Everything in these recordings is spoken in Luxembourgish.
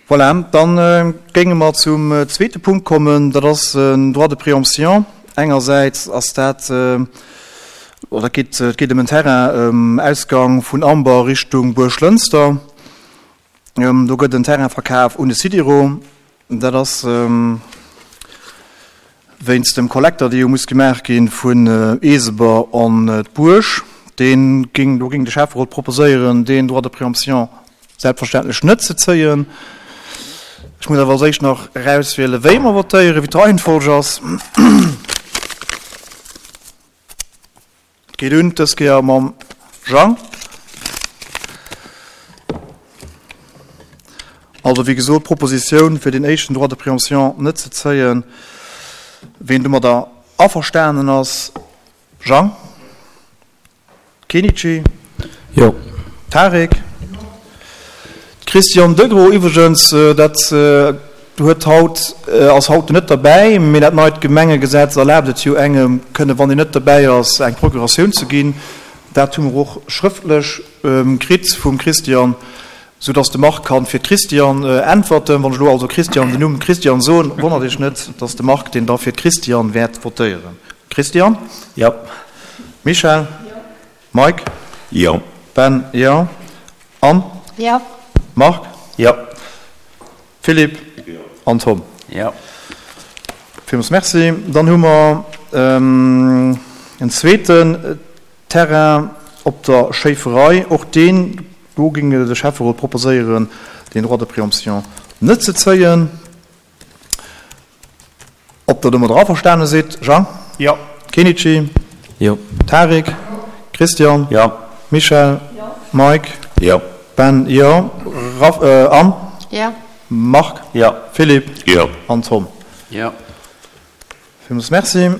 Voilà, da géinge mer zum zweete Punkt kommen, dat ass en Droit de préemption. Engersäits ass dat, oder et geet, et geet ëm en Terrain um Ausgang vun Amber Richtung Buerglënster. Do gëtt en Terrain verkaf un de Sidiro. Dat ass wéinst dem Kollekter, dee jo muss gemaach gi vun Eeseber an d'Buerg. Dee géing, do géing de Schäfferot proposéieren, deen Droit de préemption selbstverständlech net ze zéien. Ech muss awer als éischt nach erauswielen, wéi mer votéieren, wéi d'Reihenfolg ass. Et geet un dës Kéier mam Jang. Also, wéi gesot, d'Propositioun, fir deen éischten Droit de préemption net ze zéien. Ween domadder averstanen ass? Jang? Kenichi? Jo. Tarik? D'Christiane Degros iwwregens, dat huet haut, ass haut net derbäi, mee dat neit Gemengegesetz erlaabt et jo engem, kënne, wann een net derbäi ass, eng Procuratioun ze ginn. Dat hu mer och schrëftlech kritt vum Christiane, soudass de Marc kann fir d'Christiane äntwerten. Wann ech elo also Christiane, den Numm Christiane soen, wonnert Iech net, dass de Marc deen da fir d'Christiane wäert votéieren. Christiane? Jo. Michèle? Jo. Mike? Jo. Ben? Jo. Anne? Jo. Marc? Jo. Philippe? Jo. An Tom? Jo. Villmools Merci. Dann hu mer en zweeten Terrain op der Schéiferei. Och deen, do géing de Schäfferot proposéieren, deen Droit de préemption net ze zéien. Ob Der domadder averstane sidd? Jean? Jo. Kenichi? Jo. Tarik? Christian? Jo. Michèle? Jo. Mike? Jo. Ben? Jo. Raph, Anne? Jo. Marc? Jo. Philippe? Jo. An Tom? Jo. Villmools Merci.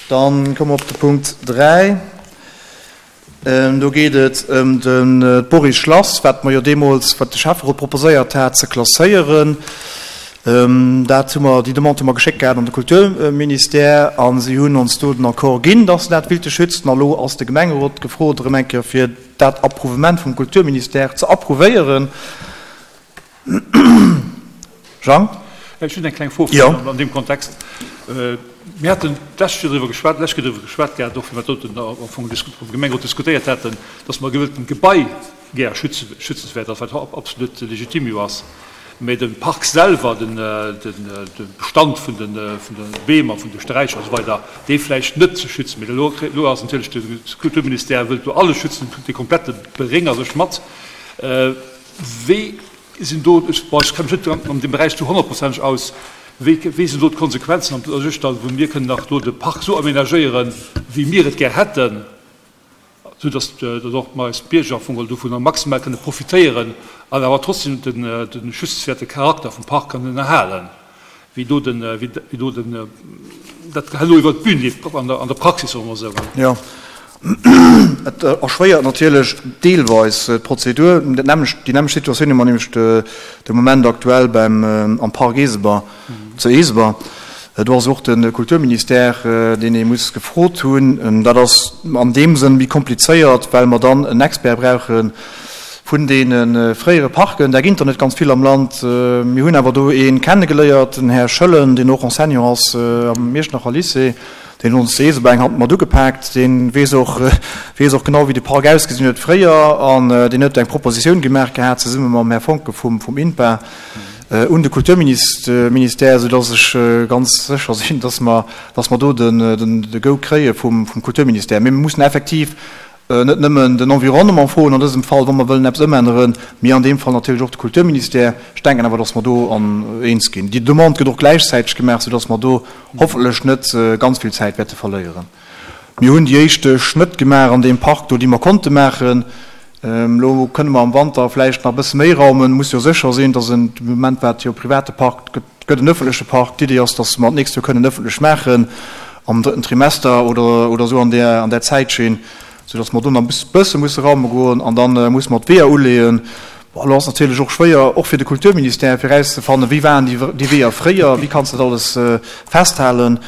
Dann komme mer op de Punkt 3. Do geet et ëm de Boris Schlass, wat mer jo deemools, wat de Schäfferot proposéiert hat, ze klasséieren. Dat hu mer, déi Demande hu mer geschéckt gehat an de Kulturministère a si hunn ons do den Accord ginn, dass se dat willte schützen. A lo ass de Gemengerot gefrot erëm eng Kéier, fir dat Approuvement vum Kulturministère ze approuvéieren. Jang? Ech hunn eng kleng Fro an deem Kontext. Mir haten d'lescht Joer driwwer geschwat, d'lescht Kéier driwwer geschwat gehat, och wéi mer dat am Fong am Gemengerot diskutéiert haten, dass mer e gewëlltent Gebai gär schützenswäert ass, wat absolut legitim jo ass, mä de Park selwer, de Bestand vun de Beem a vun de Sträicher a sou weider, dee vläicht net ze schützen. Mee elo ass natierlech de Kulturministère wëllt do alles schützen, de komplette Beréng a sech mat. Wéi sinn do, bon, ech kenne mech net an deem Beräich zu honnertprozenteg aus, wéi, wéi sinn do d'Konsequenzen an u sech dann, wou mir kënnen nach do de Park esou aménagéieren, wéi mir et gär hätten, esou datt, datt och mer eis Bierger am Fong dovunner maximal kënne profitéieren an awer trotzdem den, de schützenswäerte Charakter vum Park kënnen erhalen? Wéi do den, wéi do den, dat herno iwwer d'Bühn leeft an der, an der Praxis, soe mer esou. Jo, et erschwéiert natierlech deelweis d'Prozedur. Dat nämmlecht, déi nämmlecht Situatioun hu mer nämlech de Moment aktuell beim, am Park Eeseber, zu Eeseber. Do ass och de Kulturministère, deen ee muss gefrot hunn. Dat ass an deem Sënn méi komplizéiert, well mer dann en Expert brauchen, Vun deene fréiere Parken, där ginn der net ganz vill am Land. Mir hunn awer do ee kennegeléiert, den Här Schëllen, deen och Enseignant ass am Iechternacher Lycée, deen huet ons zu Eeseber eng Hand mat ugepaakt. Dee weess och, weess och genau, wéi de Park ausgesinn huet fréier an deen huet eng Propositioun gemaach gehat, zesumme mam Här Foncken vum, vum INPA, un de Kulturministère, soudass ech ganz sécher sinn, dass mer, dass mer do den, den, de Go kréie vum, vum Kulturministère. Mee mir mussen effektiv Net nëmmen den Environnement froen an dësem Fall, wa mer wëllen eppes ëmänneren, mee an deem Fall natierlech och de Kulturministère. Ech denken awer, dass mer do an eens ginn. Déi Demande gëtt och gläichzäiteg gemaach, soudass mer do hoffentlech net ganz vill Zäit wäerte verléieren. Mir hunn déi éischte Schnëtt gemaach an deem Park do, déi mer konnte maachen. Elo kënne mer am Wanter vläicht nach e bësse méi raumen. Muss jo sécher sinn, dass en, de Moment war et jo e private Park, gëtt gëtt en ëffentleche Park. D'Idee ass, dass mer d'nächst Joer kënnen ëffentlech maachen, am drëtten Trimester oder, oder esou an där, an där Zäitschinn, soudass mer do nach e bësse musse raume goen an da musse mer d'Weeër uleeën. Bon, elo ass natierlech och schwéier, och fir de Kulturministère, fir erauszefannen, wéi waren déi, déi Weeër fréier, wéi kanns de dat alles festhalen.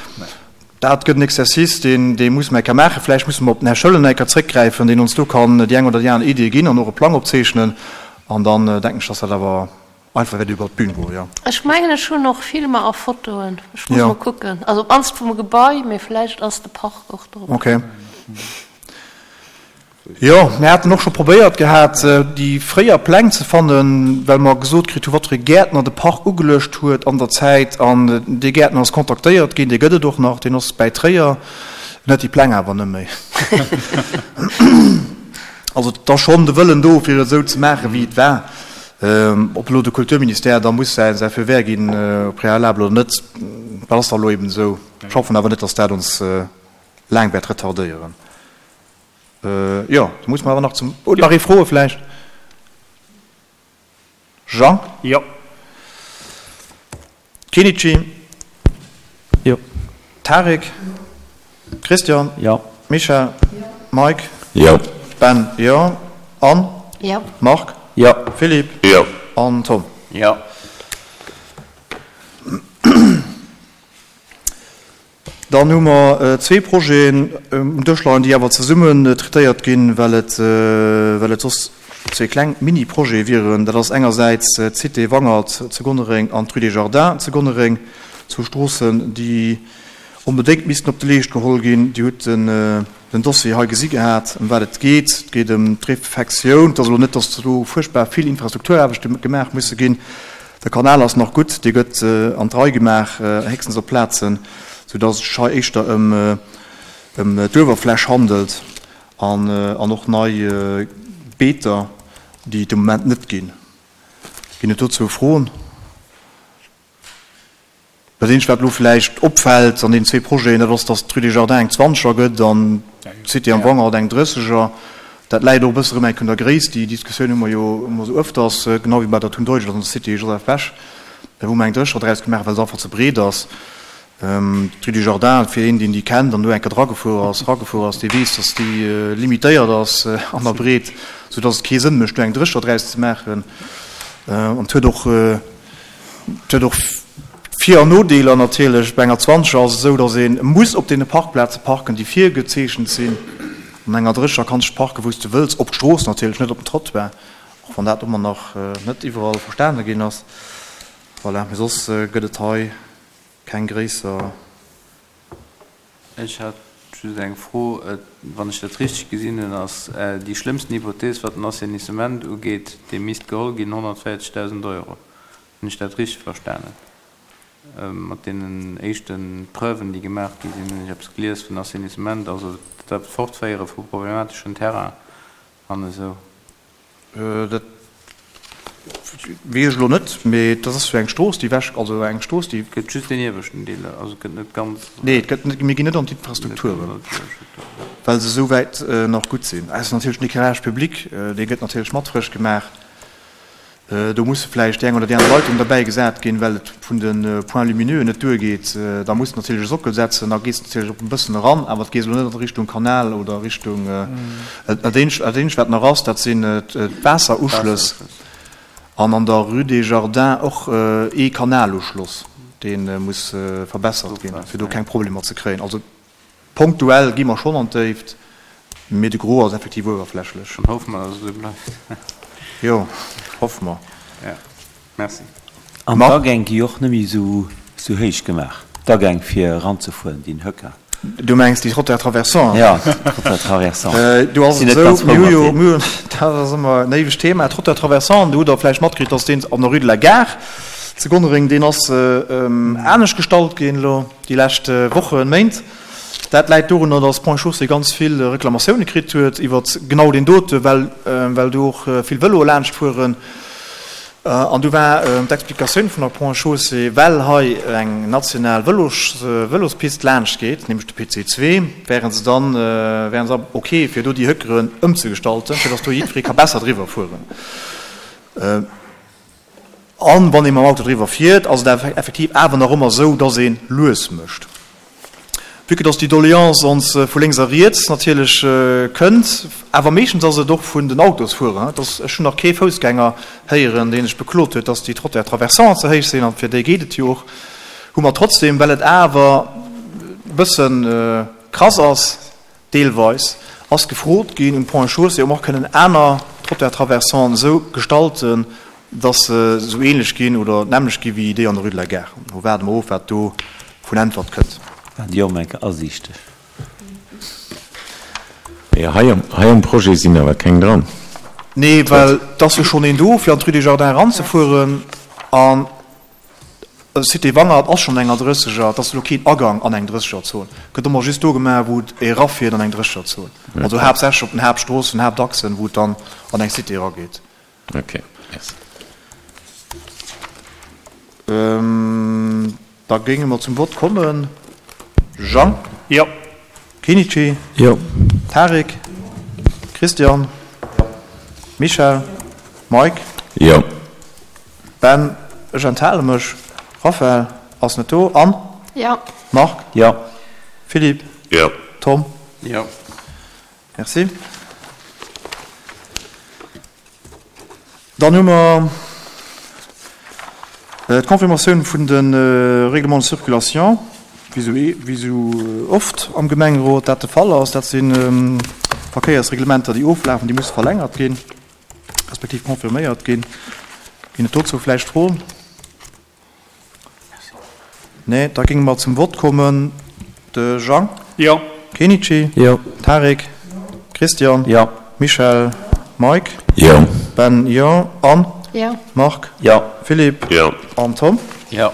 Dat gëtt en Exercice, deen, dee musse mer eng Kéier maachen. Vläicht musse mer op den Här Schëllen eng Kéier zréckgräifen, deen ons do kann déi eng oder déi aner Idee ginn an och e Plang opzeechnen. An dann denken ech, dass dat awer einfach wäert iwwert d'Bün goen, jo. Ech mengen, ech hunn och Filmer a Fotoen. Ech muss mol kucken. Also op d'mannst vum Gebai, mee vläicht ass de Park och drop. Ok. Jo, mir haten och scho probéiert gehat, déi fréier Pläng ze fannen, well mer gesot kritt hu wat fir e Gäertner de Park ugeluecht huet an der Zäit. An dee Gäertner ass kontaktéiert ginn, dee gëtt et och nach, deen ass bäi Tréier, en huet déi Pläng awer net méi. Also et ass schonn de Wëllen do, fir et esou ze maachen, wéi et war. Ob elo de Kulturministère da muss säi säi Feu vert ginn au préalable oder net, dat ass da elo eben esou. Ech hoffen awer net, datt dat ons laang wäert retardéieren. Jo, da muss mer awer nach zum, oh, nach ee Froe vläicht? Jean? Jo. Kenichi? Jo. Tarik? Christian? Jo. Michèle? Jo. Mike? Jo. Ben? Jo. Anne? Jo. Marc? Jo. Philippe? Jo. An Tom? Jo. Dann hu mer zwee Projeten um Dësch leien, déi awer zesummen traitéiert ginn, well et, well et soss zwee kleng Mini-Projete wieren. Dat ass engersäits d'Cité Wangert zu Gonnereng an d'Rue des Jardins zu Gonnereng, zwou Stroossen, déi onbedéngt missten op de Leescht geholl ginn. Dir hutt den, den Dossier hei gesi gehat, ëm wat et geet. Et geet ëm d'Refectioun. Et ass elo net, datt do fuerchtbar vill Infrastrukturaarbechte gemaach musse ginn. De Kanal ass nach gutt, dee gëtt an d'Rei gemaach, héchstens op Plazen, soudatt et sech hei éischter ëm d'Uewerfläch handelt an och nei Beeter, déi et de Moment net ginn. Ginn et dozou Froen? Dat eenzegt, wat elo vläicht opfält an deenen zwee Projeten, dat ass, datt d'Rue des Jardins eng Zwanzeger gëtt an d'Cité am Wangert eng Drësseger. Dat läit och e bësse erëm enk un der Gréisst. Déi Diskussioun hu mer jo ëmmer esou ëfters, genau wéi bei der Thun Deutschland an der Cité Joseph Bech, wou mer eng Drësseger draus gemaach hunn, well se einfach ze breet ass. D'Rue des Jardins, fir een, deen déi kennt an do eng Kéier dragefuer ass, eragefuer ass, dee weess, datt déi limitéiert ass an der Breet, soudatt et kee Sënn mécht, do eng Drësseger draus ze maachen. An et huet och, Et huet och Vir an Nodeeler natierlech. Bei enger Zwanzeger ass et esou, datt ee muss op deene Parkplaze parken, déi virgezeechent sinn. An enger Drécheger kanns de parken, wou s de wëlls, op d'Strooss natierlech, net op den Trottoir, och wann dat ëmmer nach net iwwerall verstane ginn ass. Voilà, mee soss gëtt et hei keng gréisser. Ech hat just eng Fro, Wann ech dat richteg gesinn hunn, ass déi schlëmmsten Hypothees, wat den Assainissement ugeet, dee misst geholl ginn, 140.000 Euro. Hunn ech dat richteg verstanen? Mat deenen éischte Preuven, déi gemaach gi sinn, hunn ech eppes gelies vun Assainissement, also dat Fortféiere vu problemateschen Terrain an esou. Dat weess ech elo net, mee dat ass jo eng Strooss, déi ewech, also eng Strooss, déi. Et gëtt just deen ieweschten Deel, also et gëtt net ganz. Nee, et gëtt net, mir ginn net an d'Infrastrukturen, well se esou wäit nach gutt sinn. Ausser natierlech den Éclairage public, dee gëtt natierlech mat frësch gemaach. Do musse vläicht déi eng oder déi aner Leitung derbäi gesat ginn, well et vun de Points lumineux net duergeet. Da muss de natierlech e Sockel setzen, da gees de natierlech och e bëssen eran, awer et gees elo net an Richtung Kanal oder Richtung. Dat eenzegt, wat nach ass, dat sinn d'Waasseruschlëss an an der Rue des Jardins och ee Kanaluschloss, dee muss verbessert ginn, fir do keng Problemer ze kréien. Also Punktuell gi mer schonn an d'Déift, mee de Gros ass effektiv uewerflächlech. Dann hoffe mer, dass et esou bleift. Jo, hoffe mer. Jo, merci. An d'Agäng gi och net méi esou héich gemaach, d'Agäng fir eranzefueren, déi Höcker. Du mengs déi Trottoirs traversants? Jo, d'Trottoirs traversants. Do ass et esou, mir hu jo, mir hunn, dat ass ëmmer en éiwegt Thema, Trottoir traversant, do hutt Der vläicht matkritt, dass deen an der Rue de la Gare zu Gonnereng, deen ass anescht gestallt ginn elo. Déi lescht Wochen, Méint. Dat läit dorunner, datt Ponts et Chaussées ganz vill Reklamatioune kritt huet iwwert genau deen dote, well well do och vill Vëloe laanscht fueren. An du war d'Explikatioun vun der Ponts et Chaussées, well hei eng national Vëlos Vëlospist laanscht geet, nämlech de PC 2, wären se dann wären se ok fir do déi Höckeren ëmzegestalten, fir datt do jiddweree ka besser driwwer fueren. An wann ee mam Auto driwwer fiert, ass et effektiv awer nach ëmmer esou, dass ee lues mécht. Vue que dass déi Doleance ons vu lénks a riets natierlech kënnt, awer meeschtens ass et och vun den Autosfuerer, dass, ech hunn nach kee Foussgänger héieren, dee sech beklot huet, dass déi Trottoirs traversants ze héich sinn, an fir déi geet et jo och, hu mer trotzdem, well et awer e bësse krass ass, Deelweis ass gefrot ginn um Ponts et Chaussées, ob mer och kënnen aner. Trottoir-traversanten esou gestalten, dass se esou ähnlech ginn oder d'nämmlecht gi wéi déi an der Rue de la Gare. Lo waarde mer of, wat do vun Äntwert kënnt. Waren déi och mol eng Kéier asiichteg? Mee hei am, hei am Projet sinn awer keng dran. Nee, well et ass jo schonn een do, fir an d'Rue des Jardins eranzefueren. An Cité Wangert ass schonn enger Drësseger. Et ass elo keen Agang an eng Drëssegerzon. Gëtt ëmmer just do gemaach, wou et erafiert an eng Drëssegerzon. Also haaptsächlech op den Haaptstroossen, Haaptachsen, wou et dann an eng Cité erageet. Ok, merci. Da géinge mer zum Vott kommen. Jean? Jo. Kenichi? Jo. Tarik? Christian? Michel? Mike? Jo. Ben, ech enthale mech. Raphaël ass net do. Anne? Jo. Marc? Jo. Philippe? Jo. Tom? Jo. Merci. Dann hu mer d'Confirmatioun vun de Règlements de circulation, wéi esou oft am Gemengerot dat de Fall ass. Dat si Verkéiersreglementer, déi oflafen, déi musse verlängert ginn, respektiv confirméiert ginn. Ginn et dozou vläicht Froen? Nee, da géinge mer zum Vott kommen. De Jang? Jo. Kenichi? Jo. Tarik? Christian? Jo. Michel? Mike? Jo. Ben? Jo. Anne? Jo. Marc? Jo. Philippe? Jo. An Tom? Jo.